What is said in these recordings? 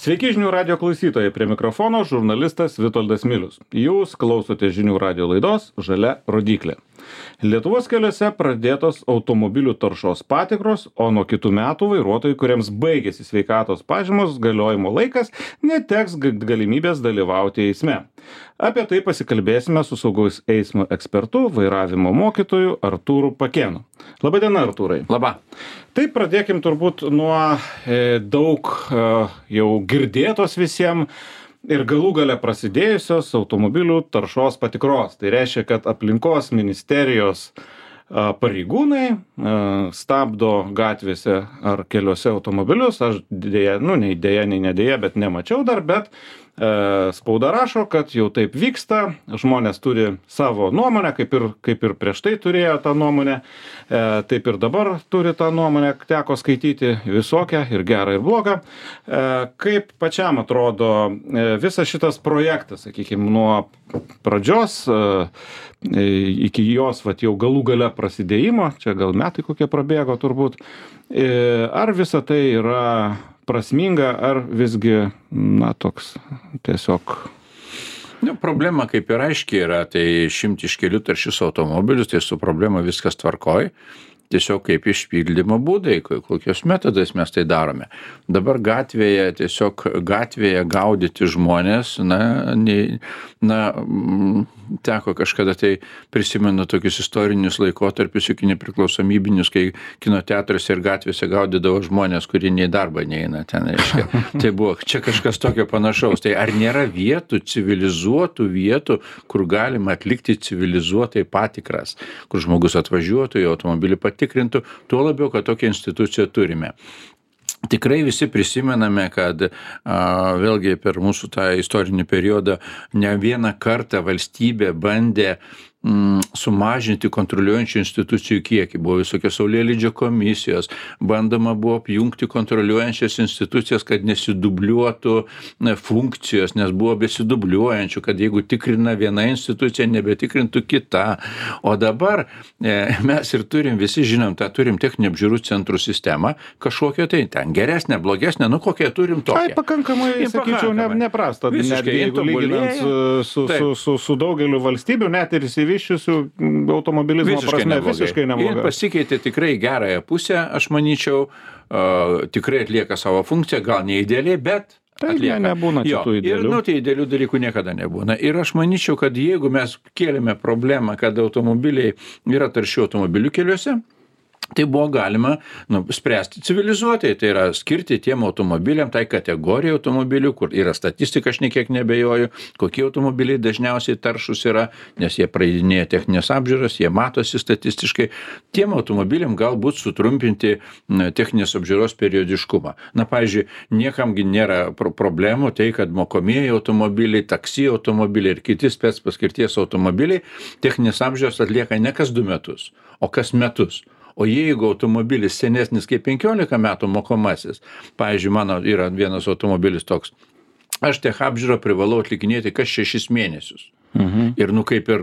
Sveiki žinių radio klausytojai, prie mikrofono žurnalistas Vitoldas Milius. Jūs klausote žinių radio laidos Žalia rodyklė. Lietuvos keliuose pradėtos automobilių taršos patikros, o nuo kitų metų vairuotojai, kuriems baigėsi sveikatos pažymos galiojimo laikas, neteks galimybės dalyvauti eisme. Apie tai pasikalbėsime su saugaus eismo ekspertu, vairavimo mokytoju Artūru Pakėnu. Labadiena, Artūrai. Labą. Tai pradėkim turbūt nuo daug jau girdėtos visiems ir galų gale prasidėjusios automobilių taršos patikros. Tai reiškia, kad aplinkos ministerijos pareigūnai stabdo gatvėse ar keliuose automobilius. Aš dėja, nei nedėja, bet nemačiau dar, bet spauda rašo, kad jau taip vyksta, žmonės turi savo nuomonę, kaip ir prieš tai turėjo tą nuomonę, taip ir dabar turi tą nuomonę, teko skaityti visokią ir gerą ir blogą. Kaip pačiam atrodo visas šitas projektas, sakykime, nuo pradžios iki jos jau galų gale prasidėjimo, čia gal metai kokie prabėgo turbūt, ar visa tai yra prasminga, ar visgi, toks tiesiog... Problema kaip ir aiškiai yra, tai išimti iš kelių taršius automobilius, tai su problema viskas tvarkoj. Tiesiog kaip išpildymo būdai, kokios metodais mes tai darome. Dabar gatvėje gaudyti žmonės, teko kažkada tai prisimenu tokius istorinius laikotarpius iki nepriklausomybinius, kai kino teatruose ir gatvėse gaudydavo žmonės, kurie nei darbą neina ten, reiškia. Tai buvo čia kažkas tokio panašaus. Tai ar nėra vietų, civilizuotų vietų, kur galima atlikti civilizuotai patikras, kur žmogus atvažiuotų, jo automobilį patikrintų, tuo labiau, kad tokią instituciją turime. Tikrai visi prisimename, kad vėlgi per mūsų tą istorinį periodą ne vieną kartą valstybė bandė sumažinti kontroliuojančių institucijų kiekį. Buvo visokios saulėlydžio komisijos, bandoma buvo apjungti kontroliuojančias institucijas, kad nesidubliuotų funkcijos, nes buvo besidubliuojančių, kad jeigu tikrina viena institucija, nebetikrintų kita. O dabar mes ir visi žinom, turim techninio apžiūrų centrų sistemą, kažkokią tai ten geresnę, blogesnę, kokią turim tokią. Tai pakankamai, sakyčiau, neprasta. Visiškai, jeigu lyginant su daugeliu valstybių, net ir išsivyščiusių automobilizmo prasme, visiškai neblogai. Ir pasikeitė tikrai gerąją pusę, aš manyčiau, tikrai atlieka savo funkciją, gal ne idealiai, bet atlieka. Nebūna šitų idealių. Tai idealių dalykų niekada nebūna. Ir aš manyčiau, kad jeigu mes kėlėme problemą, kad automobiliai yra taršių automobilių keliuose, tai buvo galima spręsti civilizuotai, tai yra skirti tiem automobiliam, tai kategorijai automobilių, kur yra statistika, aš niekiek nebejoju, kokie automobiliai dažniausiai taršus yra, nes jie praeidinėja techninės apžiūras, jie matosi statistiškai. Tiem automobiliam galbūt sutrumpinti techninės apžiūros periodiškumą. Pavyzdžiui, niekamgi nėra problemų tai, kad mokomieji automobiliai, taksi automobiliai ir kiti spec paskirties automobiliai techninės apžiūros atlieka ne kas 2 metus, o kas metus. O jeigu automobilis senesnis kaip 15 metų mokomasis, pavyzdžiui, mano yra vienas automobilis toks, aš tech apžiūrą privalau atlikinėti kas 6 mėnesius. Ir kaip ir,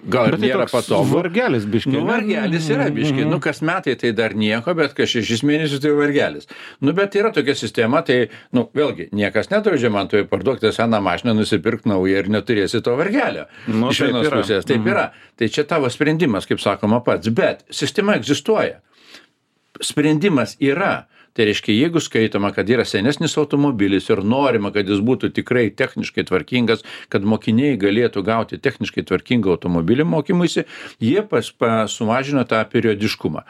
gal ir nėra patogu. Vargelis biški. Vargelis yra biški. Kas metai tai dar nieko, bet kas 6 mėnesius tai vargelis. Bet yra tokia sistema, tai, vėlgi, niekas nedraudžia man toje parduokti seną mašiną, nusipirkti naują ir neturėsi to vargelio. Iš vienos pusės. Taip yra. Tai čia tavo sprendimas, kaip sakoma pats. Bet sistema egzistuoja. Sprendimas yra. Tai reiškia, jeigu skaitoma, kad yra senesnis automobilis ir norima, kad jis būtų tikrai techniškai tvarkingas, kad mokiniai galėtų gauti techniškai tvarkingą automobilį mokymuisi, jie sumažino tą periodiškumą.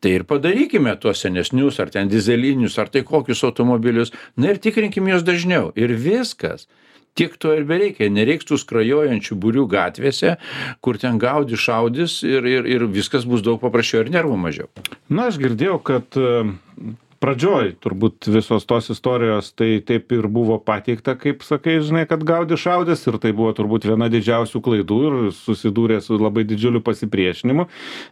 Tai ir padarykime tuos senesnius, ar ten dizelinius, ar tai kokius automobilius, ir tikrinkime juos dažniau. Ir viskas. Tiek to ir bereikia, nereiks tų skrajojančių būrių gatvėse, kur ten gaudi šaudys ir viskas bus daug paprasčiau ir nervų mažiau. Aš girdėjau, kad pradžioj turbūt visos tos istorijos tai taip ir buvo pateikta, kaip sakai, žinai, kad gaudi šaudys, ir tai buvo turbūt viena didžiausių klaidų ir susidūrė su labai didžiuliu pasipriešinimu,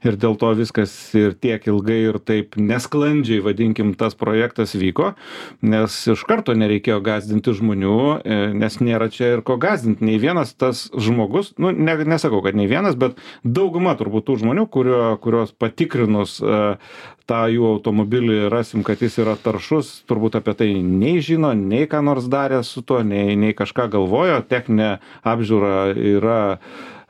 ir dėl to viskas ir tiek ilgai ir taip nesklandžiai, vadinkim, tas projektas vyko, nes iš karto nereikėjo gąsdinti žmonių, nes nėra čia ir ko gąsdinti. Nei vienas tas žmogus, nesakau, kad nei vienas, bet dauguma turbūt tų žmonių, kurios patikrinus tą jų automobilį rasim, kad kad jis yra taršus, turbūt apie tai nei žino, nei ką nors darė su tuo, nei kažką galvojo. Techninė apžiūra yra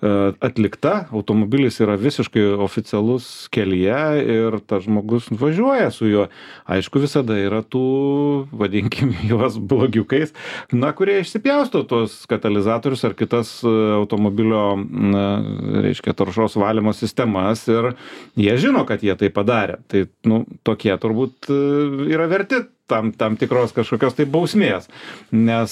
atlikta, automobilis yra visiškai oficialus kelyje ir tas žmogus važiuoja su juo. Aišku, visada yra tų, vadinkim juos blogiukais, kurie išsipjausto tos katalizatorius ar kitas automobilio, reiškia, taršos valymo sistemas ir jie žino, kad jie tai padarė. Tai, tokie turbūt yra verti tam tikros kažkokios tai bausmės, nes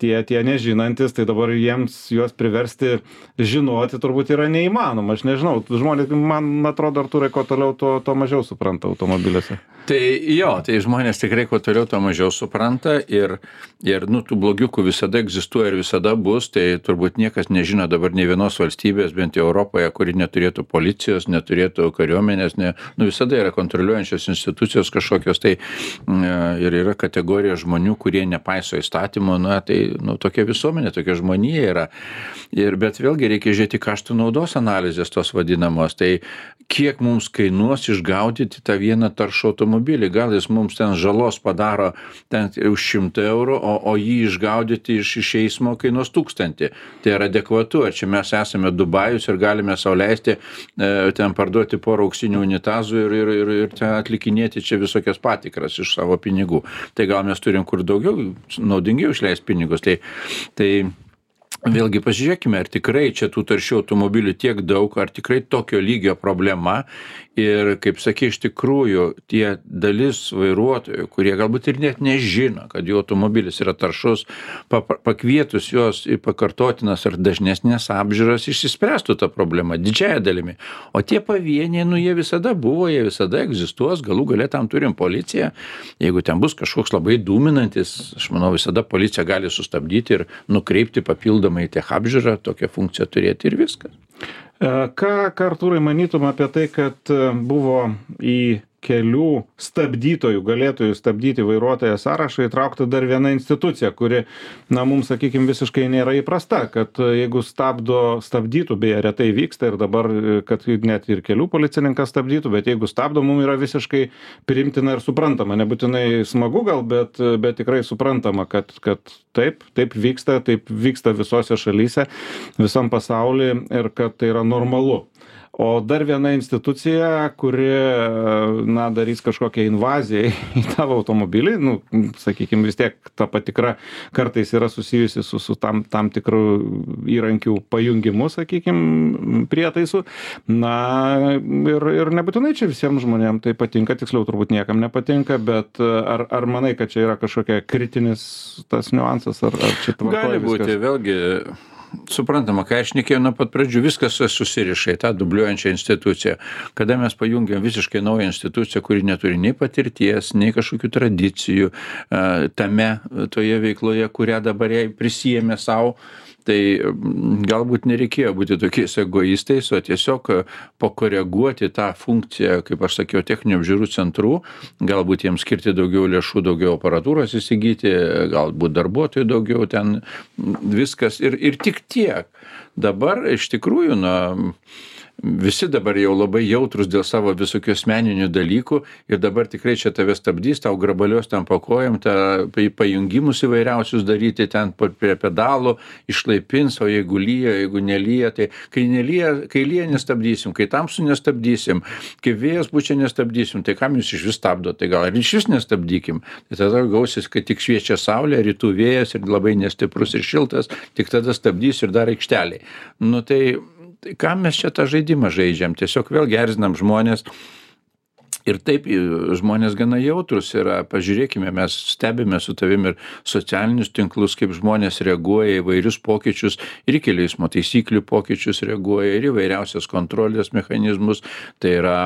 tie nežinantis, tai dabar juos priversti žinoti turbūt yra neįmanoma. Aš nežinau, žmonės, man atrodo, Artūrai, kuo toliau, to mažiau supranta automobiliuose. Tai žmonės tikrai kuo toliau, to mažiau supranta ir tų blogiukų visada egzistuoja ir visada bus, tai turbūt niekas nežino dabar nei vienos valstybės, bent jau Europoje, kuri neturėtų policijos, neturėtų kariuomenės, visada yra kontroliuojančios institucijos kažkokios, tai ir yra kategorija žmonių, kurie nepaiso įstatymų, tokia visuomenė, tokia žmonija yra. Bet vėlgi reikia žiūrėti kaštų naudos analizės tos vadinamos, tai kiek mums kainuos išgaudyti tą vieną taršų automobilį, gal jis mums ten žalos padaro ten už 100 eurų, o jį išgaudyti iš eismo kainuos 1000. Tai yra adekvatu, ar čia mes esame Dubajus ir galime sau leisti ten parduoti porą auksinių unitazų ir ten atlikinėti čia visokias patikras iš savo pinigų. Tai gal mes turim kur daugiau naudingiau išleisti pinigus. Tai vėlgi pasižiūrėkime, ar tikrai čia tų taršių automobilių tiek daug, ar tikrai tokio lygio problema. Ir, kaip sakė, iš tikrųjų, tie dalis vairuotojų, kurie galbūt ir net nežino, kad jų automobilis yra taršus, pakvietus juos į pakartotinas ar dažnesnės apžiūras, išsispręstų tą problemą didžiąją dalimi. O tie pavieniai, jie visada buvo, jie visada egzistuos, galų gale tam turim policiją. Jeigu ten bus kažkoks labai dūminantis, aš manau, visada policija gali sustabdyti ir nukreipti papildomai į tech apžiūrą, tokią funkciją turėti ir viskas. Ką, Artūrai, manytum apie tai, kad buvo į kelių stabdytojų, galėtojų stabdyti vairuotoją sąrašą įtraukta dar viena institucija, kuri, mums, sakykime, visiškai nėra įprasta, kad jeigu stabdytų, beje, retai vyksta ir dabar, kad net ir kelių policininkas stabdytų, bet jeigu stabdo, mums yra visiškai priimtina ir suprantama. Nebūtinai smagu gal, bet tikrai suprantama, kad taip vyksta visose šalyse, visam pasaulyje ir kad tai yra normalu. O dar viena institucija, kuri, darys kažkokią invaziją į tavo automobilį, sakykime, vis tiek ta patikra kartais yra susijusi su tam tikrų įrankių pajungimu, sakykime, prietaisų. Ir nebūtinai čia visiems žmonėms tai patinka, tiksliau turbūt niekam nepatinka, bet ar manai, kad čia yra kažkokia kritinis tas niuansas, ar čia tvarkoja viskas? Gali būti, vėlgi. Suprantama, kai aš šnekėjau nuo pat pradžių, viskas susiriša į tą dubliuojančią instituciją. Kada mes pajungiam visiškai naują instituciją, kuri neturi nei patirties, nei kažkokių tradicijų toje veikloje, kurią dabar jai prisijėmė savo, tai galbūt nereikėjo būti tokiais egoistais, o tiesiog pakoreguoti tą funkciją, kaip aš sakiau, techninių apžiūrų centrų, galbūt jiems skirti daugiau lėšų, daugiau aparatūros įsigyti, galbūt darbuotojų daugiau, ten viskas ir tik tiek. Dabar iš tikrųjų, visi dabar jau labai jautrus dėl savo visokių asmeninių dalykų ir dabar tikrai čia tave stabdys, tau grabalios ten po kojom, pajungimus įvairiausius daryti ten prie pedalų, išlaipins, o jeigu lyja, jeigu nelyja, tai kai lyja nestabdysim, kai tamsu nestabdysim, kai vėjas pučia nestabdysim, tai kam jūs iš vis stabdo, tai gal ir iš vis nestabdykim. Tai tada gausis, kad tik šviečia saulė, rytų vėjas ir labai nestiprus ir šiltas, tik tada stabdys ir dar aikšteliai. Tai kam mes čia tą žaidimą žaidžiam? Tiesiog vėl erzinam žmonės. Ir taip žmonės gana jautrus yra. Pažiūrėkime, mes stebime su tavim ir socialinius tinklus, kaip žmonės reaguoja į vairius pokyčius, ir į kelių eismo taisyklių pokyčius reaguoja, ir į vairiausias kontrolės mechanizmus, tai yra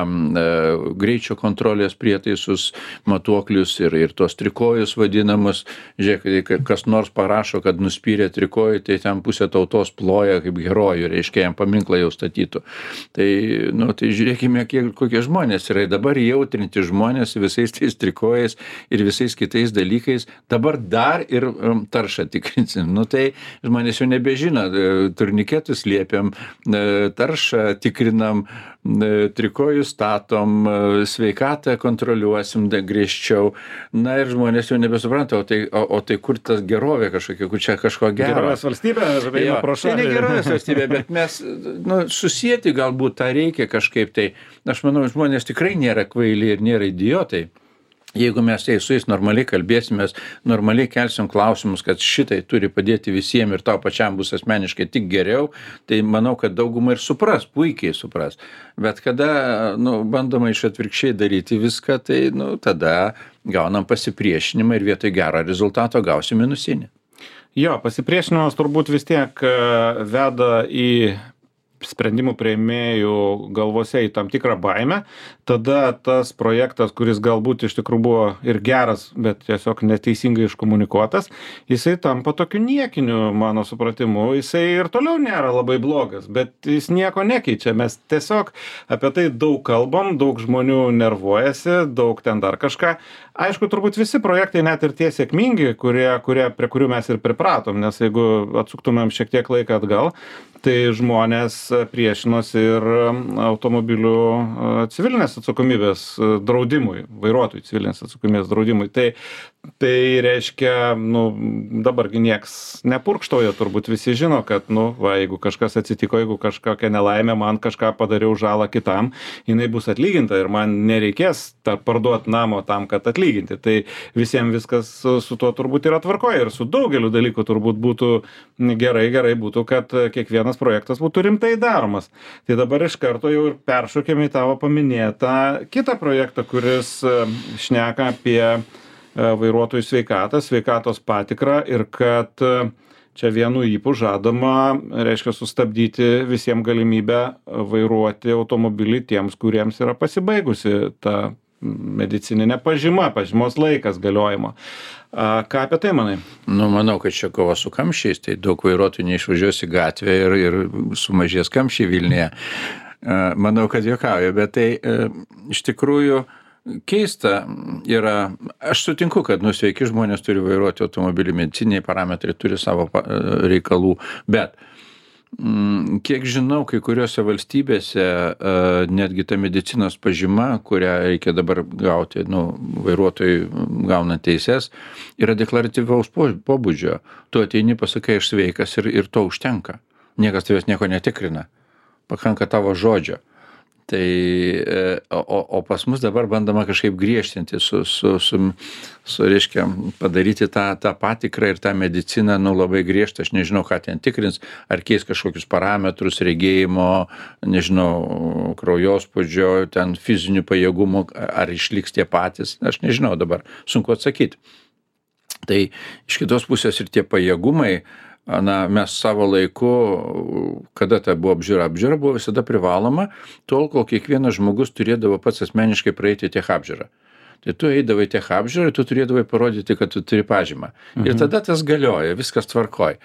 greičio kontrolės prietaisus, matuoklius ir tos trikojus vadinamus. Žiūrėk, kas nors parašo, kad nuspyrė trikojų, tai ten pusė tautos ploja kaip herojų, reiškia, jam paminklą jau statytų. Tai žiūrėkime, kokie žmonės yra. Dabar jautrinti žmonės visais tais trikojais ir visais kitais dalykais. Dabar dar ir taršą tikrinsim. Nu tai žmonės jau nebežino, turniketus liepiam, taršą tikrinam, trikojus statom, sveikatą kontroliuosim griežčiau. Na ir žmonės jau nebesupranta, o tai kur tas gerovė kažkokia, kur čia kažko gero. Gerovės valstybė, eina pro šalį. Tai ne gerovės valstybė, bet mes susijęti galbūt tą reikia kažkaip. Tai aš manau, žmonės tikrai nėra kvaili ir nėra idiotai. Jeigu mes su jais normaliai kalbėsimės, normaliai kelsim klausimus, kad šitai turi padėti visiems ir tau pačiam bus asmeniškai tik geriau, tai manau, kad dauguma ir supras, puikiai supras. Bet kada bandoma iš atvirkščiai daryti viską, tai tada gaunam pasipriešinimą ir vietoj gero rezultato gausim minusinį. Jo, pasipriešinimas turbūt vis tiek veda į sprendimų priėmėjų galvose į tam tikrą baimę, tada tas projektas, kuris galbūt iš tikrųjų buvo ir geras, bet tiesiog neteisingai iškomunikuotas, jisai tampa tokiu niekiniu, mano supratimu, jisai ir toliau nėra labai blogas, bet jis nieko nekeičia, mes tiesiog apie tai daug kalbam, daug žmonių nervuojasi, daug ten dar kažką. Aišku, turbūt visi projektai, net ir tie sėkmingi, prie kurių mes ir pripratom, nes jeigu atsuktumėm šiek tiek laiką atgal, tai žmonės priešinosi ir automobilių civilinės atsakomybės draudimui, vairuotojų civilinės atsakomybės draudimui. Tai reiškia, dabargi nieks nepurkštauja, turbūt visi žino, kad, jeigu kažkas atsitiko, jeigu kažkokia nelaimė, man kažką padariau žalą kitam, jinai bus atlyginta ir man nereikės parduoti namo tam, kad atlyginti. Tai visiems viskas su tuo turbūt yra tvarkoje ir su daugeliu dalykų turbūt būtų gerai būtų, kad kiekvienas projektas būtų rimtai daromas. Tai dabar iš karto jau ir peršokėme į tavo paminėtą kitą projektą, kuris šneka apie vairuotojų sveikatos patikrą ir kad čia vienu ypu žadama, reiškia, sustabdyti visiems galimybę vairuoti automobilį tiems, kuriems yra pasibaigusi ta medicininė pažymos laikas galiojimo. Ką apie tai manai? Manau, kad čia kova su kamščiais, tai daug vairuotojų neišvažiuos į gatvę ir sumažės kamščiai Vilniuje. Manau, kad juokauju, bet tai iš tikrųjų keista yra, aš sutinku, kad sveiki žmonės turi vairuoti automobilį, mediciniai parametrai turi savo reikalų, bet kiek žinau, kai kuriuose valstybėse netgi ta medicinos pažyma, kurią reikia dabar gauti, vairuotojai gauna teises, yra deklaratyvaus pobūdžio. Tu ateini, pasakai, aš sveikas ir to užtenka. Niekas tavęs nieko netikrina. Pakanka tavo žodžio. Tai, o pas mus dabar bandoma kažkaip griežtinti, reiškia, padaryti tą patikrą ir tą mediciną, labai griežtą, aš nežinau, ką ten tikrins, ar keis kažkokius parametrus, regėjimo, nežinau, kraujospūdžio, ten fizinių pajėgumų, ar išliks tie patys, aš nežinau dabar, sunku atsakyti. Tai iš kitos pusės ir tie pajėgumai, mes savo laiku, kada ta buvo apžiūra buvo visada privaloma, tol, kol kiekvienas žmogus turėdavo pats asmeniškai praeiti tech apžiūrą. Tai tu eidavai tech apžiūrą ir tu turėdavai parodyti, kad tu turi pažymą. Ir tada tas galioja, viskas tvarkoj.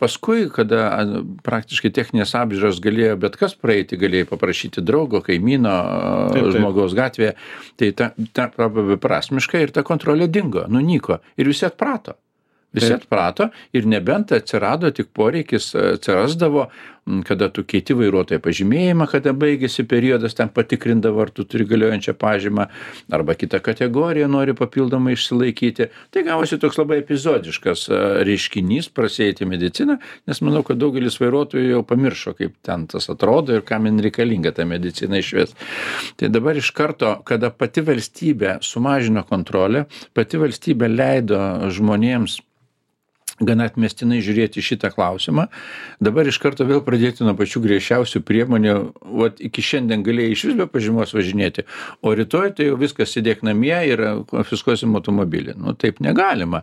Paskui, kada praktiškai techninės apžiūros galėjo bet kas praeiti, galėjai paprašyti draugo, kaimyno, žmogaus gatvėje, tai ta beprasmiškai ir ta kontrolė dingo, nunyko ir visi atprato. Visi atprato ir nebent atsirado tik poreikis, atsirasdavo, kada tu keiti vairuotojo pažymėjimą, kada baigėsi periodas, ten patikrindavo, ar tu turi galiojančią pažymą, arba kitą kategoriją nori papildomai išsilaikyti. Tai gavosi toks labai epizodiškas reiškinys prasieiti mediciną, nes manau, kad daugelis vairuotojų jau pamiršo, kaip ten tas atrodo ir kam man reikalinga ta medicina išvis. Tai dabar iš karto, kada pati valstybė sumažino kontrolę, pati valstybė leido žmonėms gana atmestinai žiūrėti šitą klausimą. Dabar iš karto vėl pradėti nuo pačių griežčiausių priemonių, iki šiandien galėjai iš vis be pažymos važinėti, o rytoj tai jau viskas sėdėk namie ir konfiskuosim automobilį. Taip negalima.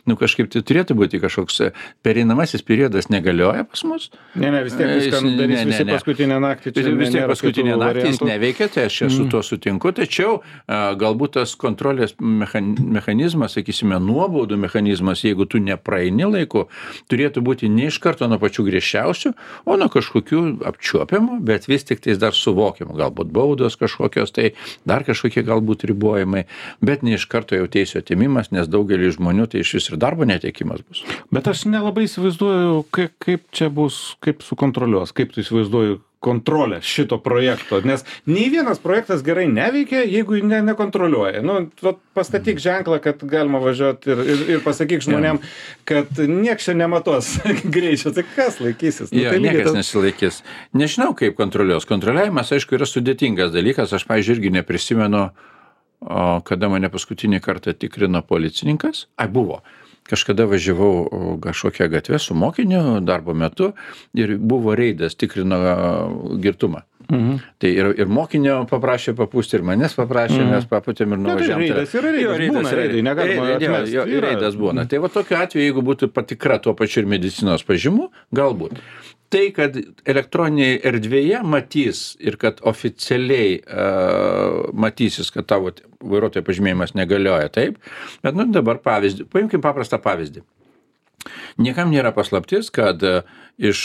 Kažkaip tai turėtų būti kažkoks pereinamasis periodas negalioja pas mus. Ne, vis tiek viską darys visi paskutinę naktį. Vis tiek paskutinę naktį jis neveikia, tai aš su tuo sutinku, tačiau galbūt tas kontrolės mechanizmas, sakysime, nuobaudų mechanizmas, jeigu tu nepraeini vidutinį laiku, turėtų būti ne iš karto nuo pačių griežčiausių, o nuo kažkokių apčiuopiamų, bet vis tik tais dar suvokiamų, galbūt baudos kažkokios, tai dar kažkokie galbūt ribojimai, bet ne iš karto jau teisių atėmimas, nes daugelį žmonių tai iš vis ir darbo netekimas bus. Bet aš nelabai įsivaizduoju, kaip čia bus, kaip sukontroliuos, kaip tu įsivaizduoju kontrolę šito projekto, nes nei vienas projektas gerai neveikia, jeigu nekontroliuoja. Nu, pastatyk ženklą, kad galima važiuoti ir pasakyk žmonėm, kad nieks čia nematos greičio, tai kas laikysis? Nu, Jo, tai niekas nesilaikys. Nežinau, kaip kontroliuos. Kontroliavimas, aišku, yra sudėtingas dalykas. Aš, pavyzdžiui, irgi neprisimenu, kada mane paskutinį kartą tikrino policininkas. Buvo. Kažkada važiavau kažkokią gatvę su mokiniu darbo metu ir buvo reidas, tikrino girtumą. Tai ir mokinio paprašė papūsti, ir manęs paprašė, mes papūtėm ir nuvažiavom. Reidas yra reidas, būna reidai, negalima atmesti. Reidas būna. Tai va tokiu atveju, jeigu būtų patikra tuo pačiu ir medicinos pažymų, galbūt. Tai, kad elektroniniai erdvėje matys ir kad oficialiai matysis, kad tavo vairuotojo pažymėjimas negalioja, taip. Bet dabar pavyzdį, paimkim paprastą pavyzdį. Niekam nėra paslaptis, kad iš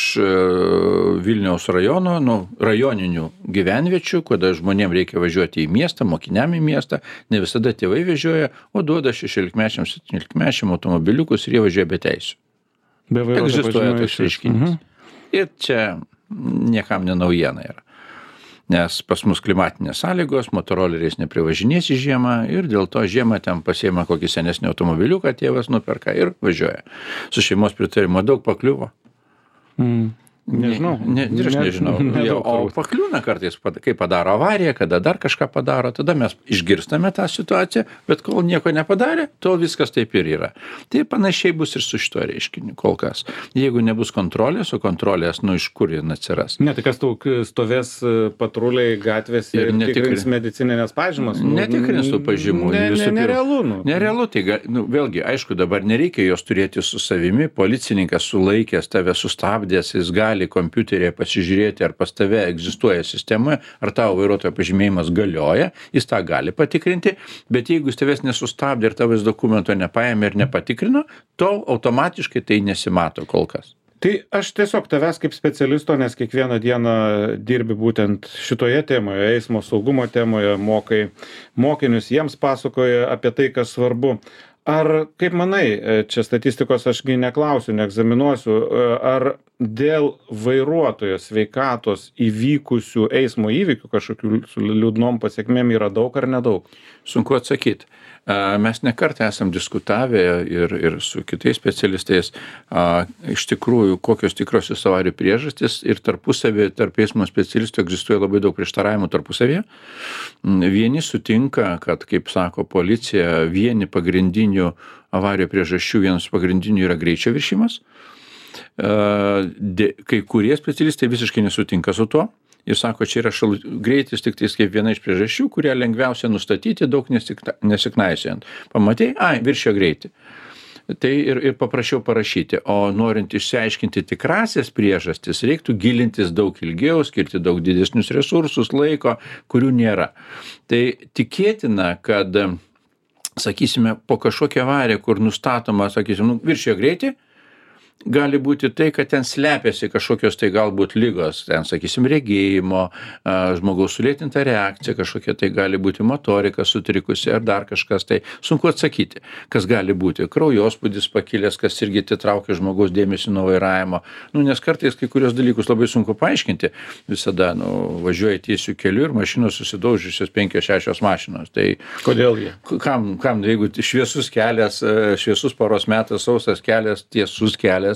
Vilniaus rajono, rajoninių gyvenviečių, kada žmonėm reikia važiuoti į miestą, mokiniam į miestą, ne visada tėvai vežioja, o duoda 16-mečiam, 17-mečiam automobiliukus ir jie važiuoja be teisių. Egzistuoja toks reiškinys. Ir čia niekam nenaujiena yra. Nes pas mus klimatinės sąlygos, motoroleriais neprivažinės į žiemą ir dėl to žiemą ten pasiema kokį senesnį automobiliuką, tėvas nuperka ir važiuoja. Su šeimos pritarimo daug pakliuvo. Nežinau. Ir aš nežinau. O pakliūna kartais, kai padaro avariją, kada dar kažką padaro, tada mes išgirstame tą situaciją, bet kol nieko nepadarė, tol viskas taip ir yra. Tai panašiai bus ir su šituo reiškiniu kol kas. Jeigu nebus kontrolės, o kontrolės, iš kur jin atsiras. Ne, tai kas stovės patruliai gatvės ir tikrins medicininės pažymas? Netikrins tų pažymų. Nerealu. Nerealu, tai vėlgi, aišku, dabar nereikia jos turėti su savimi, policininkas sulaikęs, tave sustabdęs, jis gali kompiuterėje pasižiūrėti, ar pas tave egzistuoja sistemoje, ar tavo vairuotojo pažymėjimas galioja, jis tą gali patikrinti, bet jeigu jis tavęs nesustabdė ir tavęs dokumento nepaėmė ir nepatikrino, to automatiškai tai nesimato kol kas. Tai aš tiesiog tavęs kaip specialisto, nes kiekvieną dieną dirbi būtent šitoje temoje, eismo saugumo temoje, mokai mokinius, jiems pasakoja apie tai, kas svarbu. Ar, kaip manai, čia statistikos ašgi neklausiu, neegzaminuosiu, ar dėl vairuotojo sveikatos įvykusių eismo įvykių kažkokių su liūdnom pasiekmėm yra daug ar nedaug? Sunku atsakyti. Mes nekartą esam diskutavę ir su kitais specialistais, iš tikrųjų, kokios tikrosios avarijų priežastys ir tarpusavį, tarp eismo specialistų egzistuoja labai daug prieštaravimų tarpusavėje. Vieni sutinka, kad, kaip sako policija, vieni pagrindinių avarijų priežasčių, vienas pagrindinių yra greičio viršimas. Kai kurie specialistai visiškai nesutinka su tuo. Ir sako, čia yra greitis tik tais kaip viena iš priežasčių, kurią lengviausia nustatyti, daug nesiknaisiojant. Pamatei, viršio greitį. Tai ir paprašiau parašyti. O norint išsiaiškinti tikrasias priežastis, reiktų gilintis daug ilgiau, skirti daug didesnius resursus, laiko, kurių nėra. Tai tikėtina, kad, sakysime, po kažkokią avariją, kur nustatoma, sakysim, viršio greitį, gali būti tai, kad ten slepiasi kažkokios tai galbūt ligos, ten, sakysim, regėjimo, žmogaus sulėtinta reakcija, kažkokia tai gali būti motorika sutrikusi ar dar kažkas, tai sunku atsakyti, kas gali būti. Kraujospūdis pakilęs, kas irgi atitraukia žmogaus dėmesį nuo vairavimo. Nes kartais kai kurios dalykus labai sunku paaiškinti. Visada, važiuoja tiesiu keliu ir mašinos susidaužiusios 5-6 mašinos. Tai kodėl jie? Kam, jeigu šviesus kelias, šviesus paros metas, sausas kelias, tiesus kelias,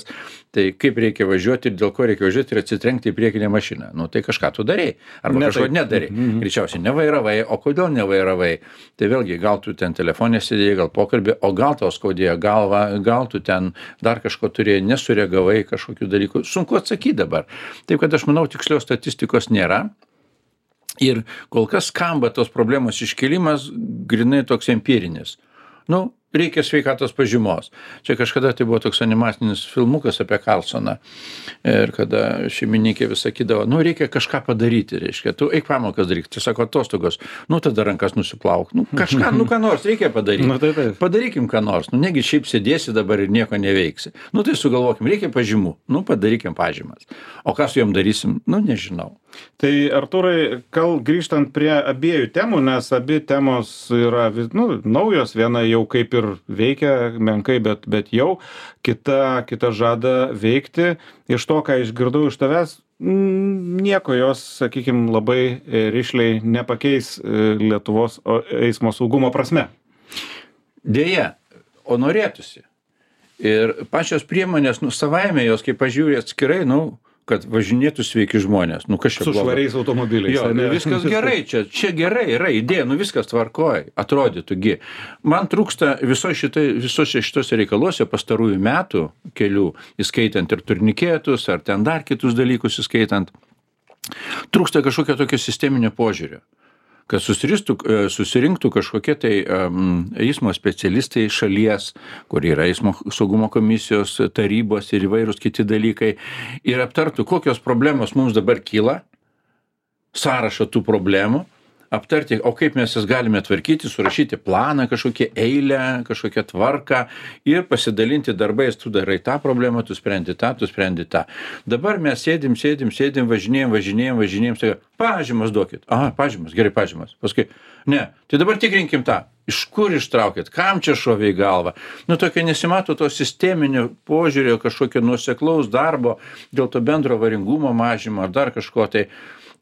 tai kaip reikia važiuoti ir dėl ko reikia važiuoti ir atsitrenkti į priekinę mašiną. Tai kažką tu darei. Arba kažko nedarei. Greičiausiai nevairavai. O kodėl nevairavai? Tai vėlgi, gal tu ten telefonė sėdėjai, gal pokalbį, o gal tau skaudėjo galvą, gal tu ten dar kažko turėjai, nesureagavai kažkokių dalykų. Sunku atsakyti dabar. Taip, kad aš manau, tikslios statistikos nėra. Ir kol kas skamba tos problemos iškėlimas grinai toks empirinis. reikia sveikatos pažymos. Čia kažkada tai buvo toks animacinis filmukas apie Karlsoną. Ir kada šeimininkė vis sakydavo, nu reikia kažką padaryti, reiškia, tu eik pamokas daryk, tai sako atostogos, nu tada rankas nusiplauk, nu kažką, nu ką nors reikia padaryti. Nu, taip. Padarykim ką nors, nu negi šiaip sėdėsi dabar ir nieko neveiksi. Nu tai sugalvokim, reikia pažymų, nu padarykim pažymas. O ką su jom darysim, nu nežinau. Tai Artūrai, grįžtant prie abiejų temų, nes abi temos yra naujos, viena jau kaip ir veikia menkai, bet jau kita žada veikti. Iš to, ką išgirdau iš tavęs, nieko jos, sakykime, labai rišliai nepakeis Lietuvos eismo saugumo prasme. Deja, o norėtųsi. Ir pačios priemonės, savaime jos, kai pažiūrė atskirai, kad važinėtų sveiki žmonės. Kas čia blogai? Su švariais automobiliais. Jo, viskas gerai, čia gerai yra idėja, viskas tvarkoj, atrodytų. Man trūksta visose šitose reikaluose pastarųjų metų kelių, įskaitant ir turnikėtus, ar ten dar kitus dalykus įskaitant, trūksta kažkokio tokio sisteminio požiūrio, kad susirinktų kažkokie tai eismo specialistai šalies, kur yra eismo saugumo komisijos tarybos ir įvairūs kiti dalykai, ir aptartų, kokios problemos mums dabar kyla, sąrašą tų problemų, aptarti, o kaip mes jas galime tvarkyti, surašyti planą, kažkokią eilę, kažkokią tvarką ir pasidalinti darbais, tu darai tą problemą, tu sprendi tą. Dabar mes sėdim, važinėjom, tai pažymas duokit. Pažymas, gerai pažymas. Paskui, ne, tai dabar tikrinkim tą. Iš kur ištraukit, kam čia šovė į galvą. Tokio nesimato to sisteminio požiūrio, kažkokio nuoseklaus darbo dėl to bendro avaringumo mažimo ar dar kažko tai.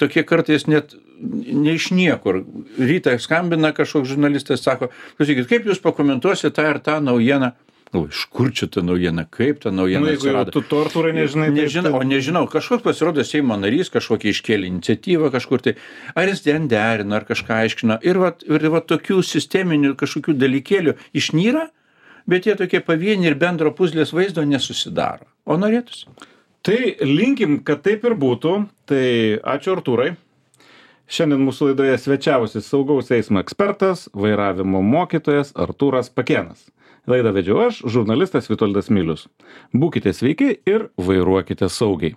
Tokie kartais net ne iš niekur. Rytą skambina kažkoks žurnalistas, sako, klausykit, kaip jūs pakomentuosite tą ir tą naujieną? Iš kur čia ta naujiena, kaip ta naujiena atsirado? Tu to, Artūrai, nežinai. Nežinau, kažkoks pasirodo Seimo narys, kažkokia iškėlė iniciatyvą kažkur tai, ar jis ten derino, ar kažką aiškino. Ir va tokių sisteminių kažkokių dalykėlių išnyra, bet jie tokie pavieniai ir bendro puzlės vaizdo nesusidaro. O norėtųsi. Tai linkim, kad taip ir būtų. Tai ačiū, Artūrai. Šiandien mūsų laidoje svečiavosi saugaus eismo ekspertas, vairavimo mokytojas Artūras Pakėnas. Laidą vedžiau aš, žurnalistas Vitoldas Milius. Būkite sveiki ir vairuokite saugiai.